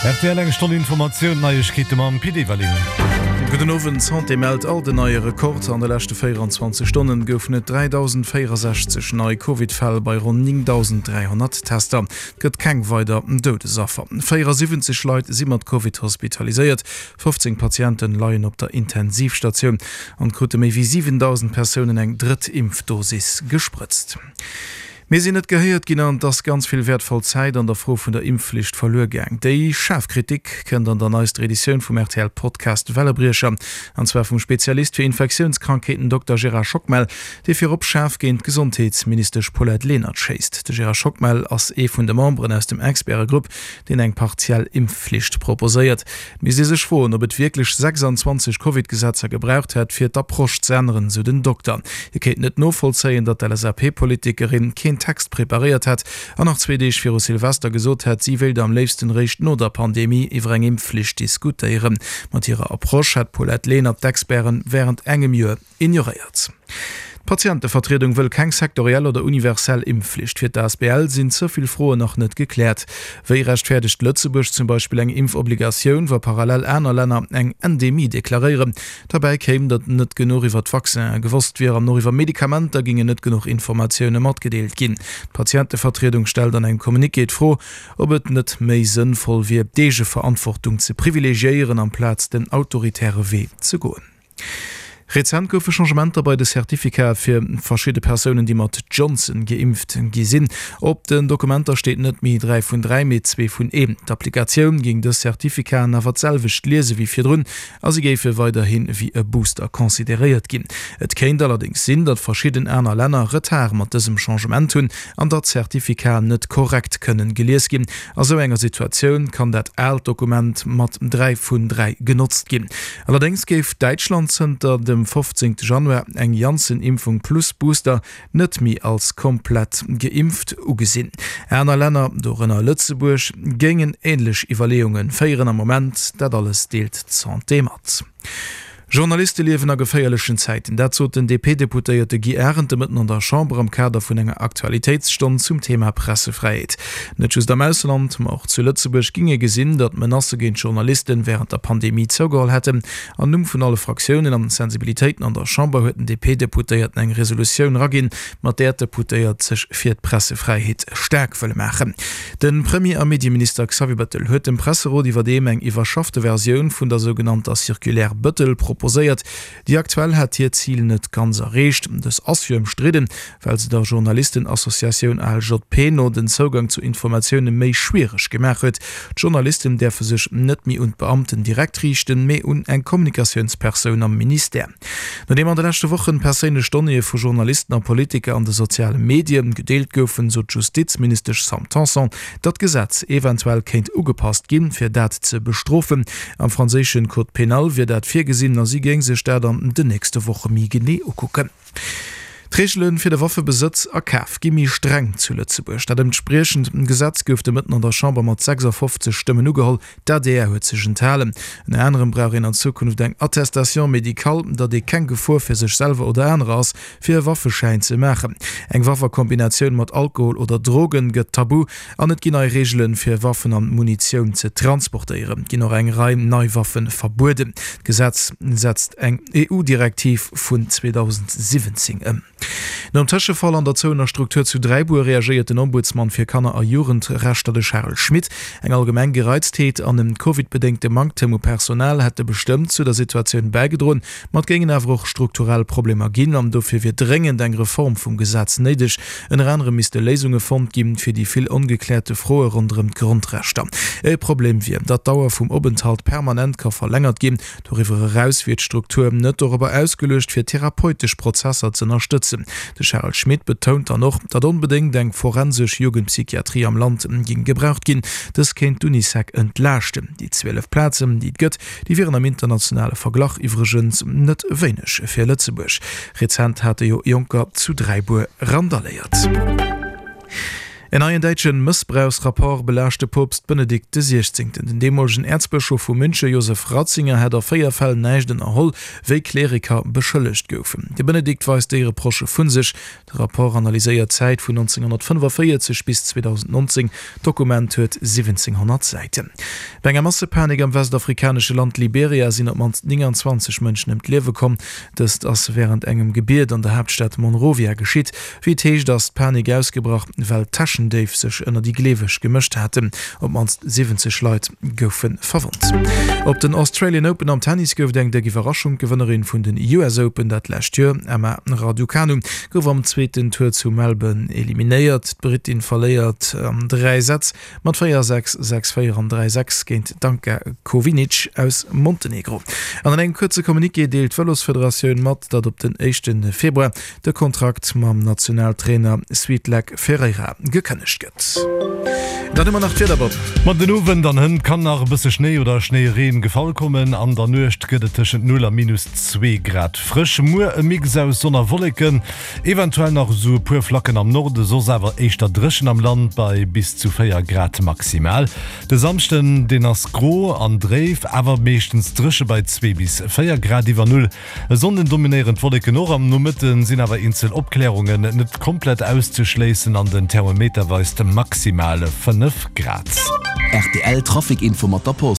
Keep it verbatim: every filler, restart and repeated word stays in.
Rtl eng Stonn Informatioun, Neiegkeete mam Pit Everling. Gudden Owend, D'Santé mellt alt en neie Rekord. An de leschte véieranzwanzeg Stonnen goufen et dräidausendvéierasechzeg nei Covid-Fäll bei ronn néngdausend dräihonnert Tester. Et gëtt keng weider Doudesaffer. véierasiwwenzeg Leit si mat Covid hospitaliséiert, fofzéng Patienten leien op der Intensivstatioun an krute méi wéi siwendausend Persounen eng drëtt Impfdosis gesprëtzt. Mir sinn net gehéiert ginn an et ass ganz vill wäertvoll Zäit an der Fro vun der Impfflicht verluer gaang. Déi schaarf Kritik kënnt an der neister Editioun vum R T L-Podcast Wellebriecher, an zwar vum Spezialist fir Infektiounskrankheeten Dokter Gérard Schockmel, dee virop schaarf géint d'Gesondheetsministesch Paulette Lenert schéisst. De Gérard Schockmel ass ee vun de Memberen aus dem Expertegrupp, deen eng partiell Impfflicht proposéiert. Et misst ee sech froen, ob et wierklech sechsanzwanzeg Covid-Gesetzer gebraucht hätt, fir d'Approche ze änneren, sou den Dokter. Hie kéint net novollzéien, datt d'L S A P-Politikerin keen Text preparéiert hätt an nach zwee Deeg viru Silvester gesot hätt, si wéilt am léifsten eréischt no der Pandemie iwwer eng Impfflicht diskutéieren. Mat hirer Approche hätt d'Paulette Lenert d'Experten wärend engem Joer ignoréiert. D'Patientevertriedung wëll keng sektoriell oder universell Impfflicht. Fir d'A S B L sinn ze vill Froen nach net gekläert. Wéi rechtfäerdegt Lëtzebuerg zum Beispill eng Impfobligatioun, wa parallel aner Länner eng Endemie deklaréieren? Derbäi kéim, datt net genuch iwwer d'Vaccinen gewosst wier an och iwwer Medikamenter gingen net genuch Informatioune matgedeelt ginn. D'Patientevertriedung stellt an engem Communiqué d'Fro, ob et net méi sënnvoll wier, d'Eegeverantwortung ze privilegiéieren, amplaz den autoritäre Wee ze goen. Rezent goufe Changementer bei de Certificate fir verschidde Persounen, déi mat Johnson geimpft gi sinn. Op den Dokumenter steet net méi dräi vun dräi, mee zwee vun een. D'Applikatioun géing dës Certificaten awer d'selwecht liese wéi virdrun a si géife weiderhi wéi e Booster consideréiert ginn. Et kéint allerdéngs sinn, datt verschidden aner Länner Retard mat dësem Changement hunn an datt d'Certificaten net korrekt kënnen gelies ginn. A sou enger Situatioun kann dat aalt Dokument mat dräi vun dräi genotzt ginn. Allerdéngs géif Däitschland zënter dem fofzéngte Januar eng Janssen-Impfung plus Booster net méi als komplett geimpft ugesinn. Aner Länner, dorënner Lëtzebuerg, géingen änlech Iwwerleeunge féieren am Moment. Dat alles deelt d'Santé mat. Journaliste liewen a geféierlechen Zäiten, dat sot den D P-Deputéierte Guy Arendt de Mëtten an der Chamber am Kader vun enger Aktualitéitsstonn zum Thema Pressefräiheet. Net just am Ausland, ma och zu Lëtzebuerg géing ee gesinn, datt d'Menacë géint Journaliste wärend der Pandemie zougeholl hätten. Am Numm vun alle Fraktiounen an Sensibilitéiten an der Chamber huet den D P-Deputéierten eng Resolutioun eraginn, mat där d'Deputéiert sech fir d'Pressefräiheet staark wëlle maachen. De Premier a Medieminister Xavier Bettel huet dem Presserot iwwerdeem eng iwwerschaffte Versioun vun der sougenannter Circulaire Bettel proposéiert. Déi aktuell hätt hiert Zil net ganz erreecht. Dës ass jo ëmstridden, well se der Journalistenassociatioun A L J P no den Zougang zu Informatioune méi schwiereg gemaach huet. D'Journalisten däerfe sech net méi un d'Beamten direkt riichten, mee un eng Kommunikatiounspersoun am Ministère. Nodeem an de leschte Wochen perséinlech Donnéeë vu Journalisten a Politiker an de soziale Medie gedeelt goufen, sot d'Justizministesch Sam Tanson, datt d'Gesetz eventuell kéint ugepasst ginn, fir dat ze bestrofen. Am franséische Code pénal wier dat virgesinn a si géing sech dat an den nächste Woche méi genee ukucken. D'Reegele fir de Waffebesëtz a Kaf gi méi streng zu Lëtzebuerg. Dat entspriechend Gesetz gouf de Mëtten an der Chamber mat sechsafofzeg Stëmmen ugeholl. D'A D R huet sech enthalen. Ënner anerem brauch een an Zukunft eng Attestation médicale, datt ee keng Gefor fir sech selwer oder anerer ass, fir e Waffeschäin ze maachen. Eng Waff a Kombinatioun mat Alkohol oder Drogen gëtt tabu an et ginn nei Reegelen, fir Waffen an Munitioun ze transportéieren. Et ginn och eng Rei nei Waffe verbueden. D'Gesetz setzt eng E U-Direktiv vun zweedausendsiwwenzéng ëm. Nom Tëschefall an der zouener Struktur zu Dräibuer reagéiert den Ombudsman fir Kanner a Jugendrechter, de Charel Schmit. Eng allgemeng Gereiztheet an en Covid-bedéngte Manktem u Personal hätte bestëmmt zu der Situatioun bäigedroen, ma et géingen awer och strukturell Problemer ginn an dofir wier dréngend eng Reform vum Gesetz néideg. Ënner anerem misste Léisunge fonnt ginn, fir déi vill ongekläerte Froe ronderëm d'Grondrechter. E Problem wier, datt d'Dauer vum Openthalt permanent ka verlängert ginn. Doriwwer eraus wier d'Struktur net dorobber ausgeluecht, fir therapeutesch Prozesser z'ënnerstëtzen. De Charel Schmit betount dann och, datt onbedéngt eng forensesch Jugendpsychiatrie am Land géing gebraucht ginn. Dës kéint d'Unisec entlaaschten. Déi zwielef Plazen, déi et gëtt, déi wieren am internationale Verglach iwwregens net wéineg fir Lëtzebuerg. Rezent hate jo Jonker zu Dräibuer randaléiert. En neien däitsche Mëssbrauchsrapport belaascht de Poopst Benedikt de Siechzéngten. Den deemolegen Äerzbëschof vu Münche Josef Ratzinger hätt a véier Fäll näischt ënnerholl, wéi Kleriker beschëllegt goufen. De Benedikt weist déi Reprochë vu sech. De Rapport analyséiert d'Zäit vun nonzénghonnertfënnefaféierzeg bis zweedausendnonzéng D'Dokument huet siwwenzénghonnert Säiten. Bei enger Massepanik am westafrikanesche Land Liberia sinn op d'mannst nénganzwanzeg Mënschen ëm d'Liewe komm. Dëst ass wärend engem Gebiet an der Haaptstad Monrovia geschitt. Wéi et heescht, ass d'Panik ausgebrach, well Täschendéif sech ënner déi Gleeweg gemëscht haten. Op d'mannst siwwenzeg Leit goufe verwonnt. Op den Australian Open am Tennis gouf et eng déck Iwwerraschung. D'Gewënnerin vun den U S Open dat lescht Joer, Emma Raducanu, gouf am zweeten Tour zu Melbourne eliminéiert. D'Brittin verléiert an dräi Sätz mat véier, sechs, sechs, véier an dräi, sechs géint d'Anka Kovinic aus Montenegro. An an engem kuerze Communiqué deelt d'Vëlosfederatioun mat, datt op den éischte Februar de Kontrakt mam Nationaltrainer Svitlak Ferreira gekënnegt gëtt. Dann hu mer nach d'Wieder, Bob. Ma den Owend an hënt kann nach e bësse Schnéi oder Schnéireen gefall kommen. An der Nuecht gëtt et tëschent null a minus zwee Grad frësch. Muer e Mix aus Sonn a Wolleken, eventuell nach esou e puer Flacken am Norde, soss awer éischter dréchen am Land bei bis zu véier Grad maximal. De Samschden, deen ass gro an dréif, awer meeschtens dréche bei zwee bis véier Grad iwwer Null. E Sonnden dominéieren d'Wolleken och, am Nomëtte sinn awer eenzel Opklärungen net komplett auszeschléissen an den Thermometer weist maximal fënnef Grad. R T L Trafic Info mat der Post.